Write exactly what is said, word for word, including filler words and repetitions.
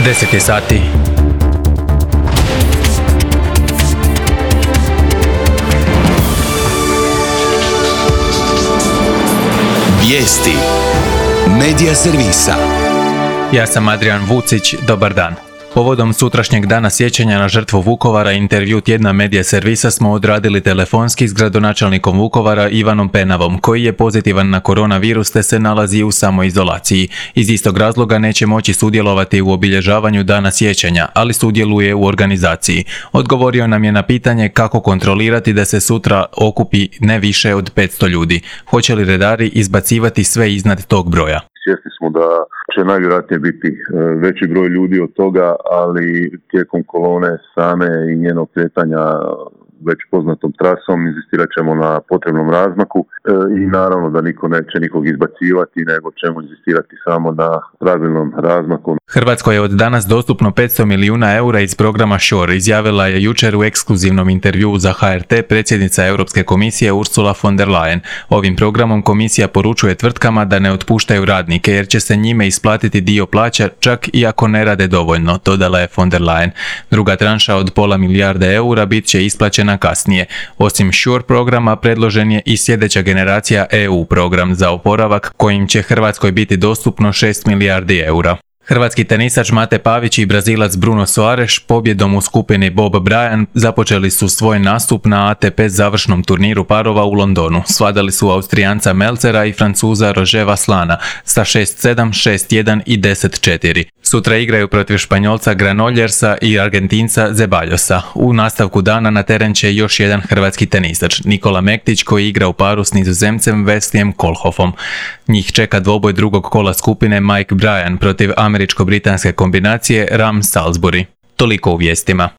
deset je sati. Vijesti Medija servisa. Ja sam Adrian Vucić, dobar dan. Povodom sutrašnjeg dana sjećanja na žrtvu Vukovara intervju tjedna Medija servisa smo odradili telefonski s gradonačelnikom Vukovara Ivanom Penavom, koji je pozitivan na koronavirus te se nalazi u samoizolaciji. Iz istog razloga neće moći sudjelovati u obilježavanju dana sjećanja, ali sudjeluje u organizaciji. Odgovorio nam je na pitanje kako kontrolirati da se sutra okupi ne više od petsto ljudi. Hoće li redari izbacivati sve iznad tog broja? Svjesni smo da će najvjerojatnije biti veći broj ljudi od toga, ali tijekom kolone same i njenog kretanja već poznatom trasom inzistirat ćemo na potrebnom razmaku i naravno da niko neće nikog izbacivati, nego ćemo inzistirati samo na pravilnom razmaku. Hrvatskoj je od danas dostupno petsto milijuna eura iz programa Shore, izjavila je jučer u ekskluzivnom intervjuu za H R T predsjednica Europske komisije Ursula von der Leyen. Ovim programom komisija poručuje tvrtkama da ne otpuštaju radnike jer će se njime isplatiti dio plaća čak i ako ne rade dovoljno, dodala je von der Leyen. Druga tranša od pola milijarde eura bit će isplaćena kasnije. Osim Shore programa predložen je i sljedeća generacija E U program za oporavak kojim će Hrvatskoj biti dostupno šest milijardi eura. Hrvatski tenisač Mate Pavić i Brazilac Bruno Soares pobjedom u skupini Bob Bryan započeli su svoj nastup na A T P završnom turniru parova u Londonu. Svladali su Austrijanca Melcera i Francuza Roger Vaslana sa šest sedam, šest jedan i deset četiri. Sutra igraju protiv Španjolca Granollersa i Argentinca Zeballosa. U nastavku dana na teren će još jedan hrvatski tenisač, Nikola Mektić, koji igra u paru s Nizozemcem Wesleyem Kohlhoffom. Njih čeka dvoboj drugog kola skupine Mike Bryan protiv američko-britanske kombinacije Ram Salisbury. Toliko u vijestima.